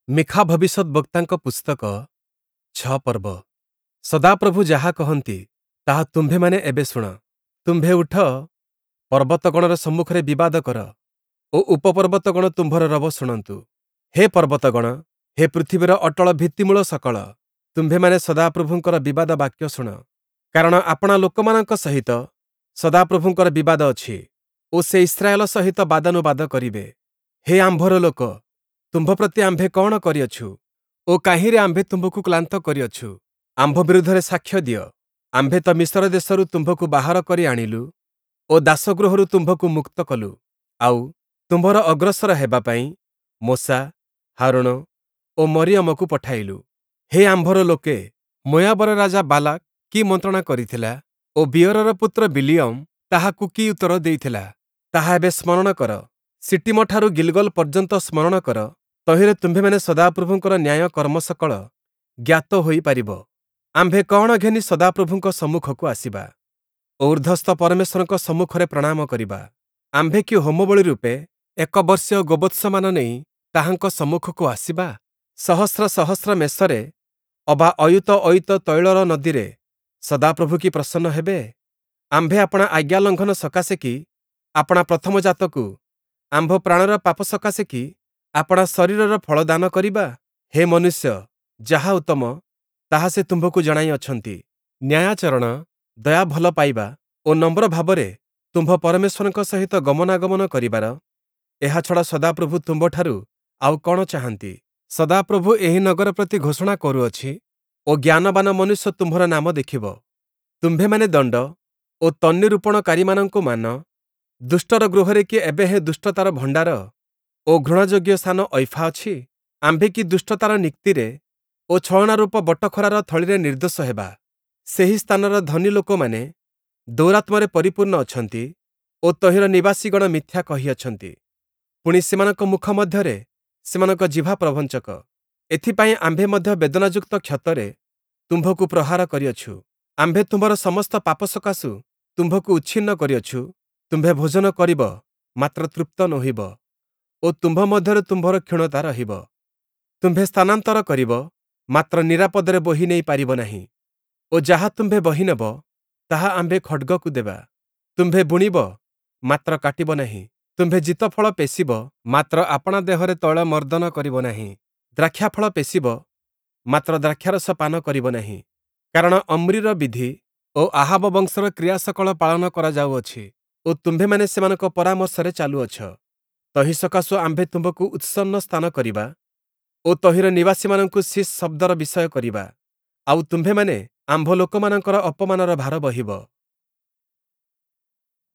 ମୀଖା ଭବିଷ୍ୟଦ୍‌ବକ୍ତାଙ୍କ ପୁସ୍ତକ ୬ ପର୍ବ। ସଦାପ୍ରଭୁ ଯାହା କହନ୍ତି, ତାହା ତୁମ୍ଭେମାନେ ଏବେ ଶୁଣ। ତୁମ୍ଭେ ଉଠ, ପର୍ବତଗଣର ସମ୍ମୁଖରେ ବିବାଦ କର ଓ ଉପପର୍ବତଗଣ ତୁମ୍ଭର ରବ ଶୁଣନ୍ତୁ। ହେ ପର୍ବତଗଣ, ହେ ପୃଥିବୀର ଅଟଳ ଭିତ୍ତିମୂଳ ସକଳ, ତୁମ୍ଭେମାନେ ସଦାପ୍ରଭୁଙ୍କର ବିବାଦ ବାକ୍ୟ ଶୁଣ। କାରଣ ଆପଣା ଲୋକମାନଙ୍କ ସହିତ ସଦାପ୍ରଭୁଙ୍କର ବିବାଦ ଅଛି ଓ ସେ ଇସ୍ରାଏଲ ସହିତ ବାଦାନୁବାଦ କରିବେ। ହେ ଆମ୍ଭର ଲୋକ, ତୁମ୍ଭ ପ୍ରତି ଆମ୍ଭେ କଅଣ କରିଅଛୁ ଓ କାହିଁରେ ଆମ୍ଭେ ତୁମ୍ଭକୁ କ୍ଳାନ୍ତ କରିଅଛୁ? ଆମ୍ଭ ବିରୁଦ୍ଧରେ ସାକ୍ଷ୍ୟ ଦିଅ। ଆମ୍ଭେ ତ ମିଶର ଦେଶରୁ ତୁମ୍ଭକୁ ବାହାର କରି ଆଣିଲୁ ଓ ଦାସଗୃହରୁ ତୁମ୍ଭକୁ ମୁକ୍ତ କଲୁ। ଆଉ, ତୁମ୍ଭର ଅଗ୍ରସର ହେବା ପାଇଁ ମୋଶା, ହାରୋଣ ଓ ମରିୟମକୁ ପଠାଇଲୁ। ହେ ଆମ୍ଭର ଲୋକେ, ମୋୟାବର ରାଜା ବାଲାକ୍ କି ମନ୍ତ୍ରଣା କରିଥିଲା ଓ ବିୟୋରର ପୁତ୍ର ବିଲିୟମ ତାହାକୁ କି ଉତ୍ତର ଦେଇଥିଲା, ତାହା ଏବେ ସ୍ମରଣ କର। ଶିଟୀମଠାରୁ ଗିଲଗଲ ପର୍ଯ୍ୟନ୍ତ ସ୍ମରଣ କର, ତହିଁରେ ତୁମ୍ଭେମାନେ ସଦାପ୍ରଭୁଙ୍କର ନ୍ୟାୟ କର୍ମସକଳ ଜ୍ଞାତ ହୋଇ ପାରିବ। ଆମ୍ଭେ କଅଣ ଘେନି ସଦାପ୍ରଭୁଙ୍କ ସମ୍ମୁଖକୁ ଆସିବା ଓ ଊର୍ଦ୍ଧ୍ଵସ୍ଥ ପରମେଶ୍ୱରଙ୍କ ସମ୍ମୁଖରେ ପ୍ରଣାମ କରିବା? ଆମ୍ଭେ କି ହୋମବଳି ରୂପେ ଏକ ବର୍ଷୀୟ ଗୋବତ୍ସମାନ ନେଇ ତାହାଙ୍କ ସମ୍ମୁଖକୁ ଆସିବା? ସହସ୍ର ସହସ୍ର ମେଷରେ ଅବା ଅୟୁତ ଅୟୁତ ତୈଳର ନଦୀରେ ସଦାପ୍ରଭୁ କି ପ୍ରସନ୍ନ ହେବେ? ଆମ୍ଭେ ଆପଣା ଆଜ୍ଞା ଲଙ୍ଘନ ସକାଶେ କି ଆପଣା ପ୍ରଥମଜାତକୁ, ଆମ୍ଭ ପ୍ରାଣର ପାପ ସକାଶେ କି ଆପଣା ଶରୀରର ଫଳ ଦାନ କରିବା? ହେ ମନୁଷ୍ୟ, ଯାହା ଉତ୍ତମ, ତାହା ସେ ତୁମ୍ଭକୁ ଜଣାଇଅଛନ୍ତି। ନ୍ୟାୟାଚରଣ, ଦୟା ଭଲ ପାଇବା ଓ ନମ୍ର ଭାବରେ ତୁମ୍ଭ ପରମେଶ୍ୱରଙ୍କ ସହିତ ଗମନାଗମନ କରିବାର, ଏହା ଛଡ଼ା ସଦାପ୍ରଭୁ ତୁମ୍ଭଠାରୁ ଆଉ କଅଣ ଚାହାନ୍ତି? ସଦାପ୍ରଭୁ ଏହି ନଗର ପ୍ରତି ଘୋଷଣା କରୁଅଛି ଓ ଜ୍ଞାନବାନ ମନୁଷ୍ୟ ତୁମ୍ଭର ନାମ ଦେଖିବ। ତୁମ୍ଭେମାନେ ଦଣ୍ଡ ଓ ତନ୍ୱୀରୂପଣକାରୀମାନଙ୍କୁ ମାନ। ଦୁଷ୍ଟର ଗୃହରେ କି ଏବେ ହେଁ ଦୁଷ୍ଟତାର ଭଣ୍ଡାର ଓ ଘୃଣାଯୋଗ୍ୟ ସ୍ଥାନ ଐଫା ଅଛି? ଆମ୍ଭେ କି ଦୁଷ୍ଟତାର ନିକ୍ତିରେ ଓ ଛଳନାରୂପ ବଟଖରାର ଥଳିରେ ନିର୍ଦ୍ଦୋଷ ହେବା? ସେହି ସ୍ଥାନର ଧନୀ ଲୋକମାନେ ଦୌରାତ୍ମ୍ୟରେ ପରିପୂର୍ଣ୍ଣ ଅଛନ୍ତି ଓ ତହିଁର ନିବାସୀଗଣ ମିଥ୍ୟା କହିଅଛନ୍ତି। ପୁଣି, ସେମାନଙ୍କ ମୁଖ ମଧ୍ୟରେ ସେମାନଙ୍କ ଜିଭା ପ୍ରବଞ୍ଚକ। ଏଥିପାଇଁ ଆମ୍ଭେ ମଧ୍ୟ ବେଦନାଯୁକ୍ତ କ୍ଷତରେ ତୁମ୍ଭକୁ ପ୍ରହାର କରିଅଛୁ। ଆମ୍ଭେ ତୁମ୍ଭର ସମସ୍ତ ପାପ ସକାଶୁ ତୁମ୍ଭକୁ ଉଚ୍ଛିନ୍ନ କରିଅଛୁ। ତୁମ୍ଭେ ଭୋଜନ କରିବ, ମାତ୍ର ତୃପ୍ତ ନୋହିବ ଓ ତୁମ୍ଭ ମଧ୍ୟରେ ତୁମ୍ଭର କ୍ଷୀଣତା ରହିବ। ତୁମ୍ଭେ ସ୍ଥାନାନ୍ତର କରିବ, ମାତ୍ର ନିରାପଦରେ ବୋହି ନେଇ ପାରିବ ନାହିଁ ଓ ଯାହା ତୁମ୍ଭେ ବହିନେବ, ତାହା ଆମ୍ଭେ ଖଡ଼୍ଗକୁ ଦେବା। ତୁମ୍ଭେ ବୁଣିବ, ମାତ୍ର କାଟିବ ନାହିଁ। ତୁମ୍ଭେ ଜୀତଫଳ ପେଷିବ, ମାତ୍ର ଆପଣା ଦେହରେ ତୈଳ ମର୍ଦ୍ଦନ କରିବ ନାହିଁ। ଦ୍ରାକ୍ଷାଫଳ ପେଷିବ, ମାତ୍ର ଦ୍ରାକ୍ଷାରସ ପାନ କରିବ ନାହିଁ। କାରଣ ଅମ୍ରିର ବିଧି ଓ ଆହାବ ବଂଶର କ୍ରିୟାସକଳ ପାଳନ କରାଯାଉଅଛି ଓ ତୁମ୍ଭେମାନେ ସେମାନଙ୍କ ପରାମର୍ଶରେ ଚାଲୁଅଛ। ତହିଁ ସକାଶୁ ଆମ୍ଭେ ତୁମ୍ଭକୁ ଉତ୍ସନ୍ନ ସ୍ଥାନ କରିବା ଓ ତହିଁର ନିବାସୀମାନଙ୍କୁ ଶୀସ୍ ଶବ୍ଦର ବିଷୟ କରିବା। ଆଉ ତୁମ୍ଭେମାନେ ଆମ୍ଭ ଲୋକମାନଙ୍କର ଅପମାନର ଭାର ବହିବ।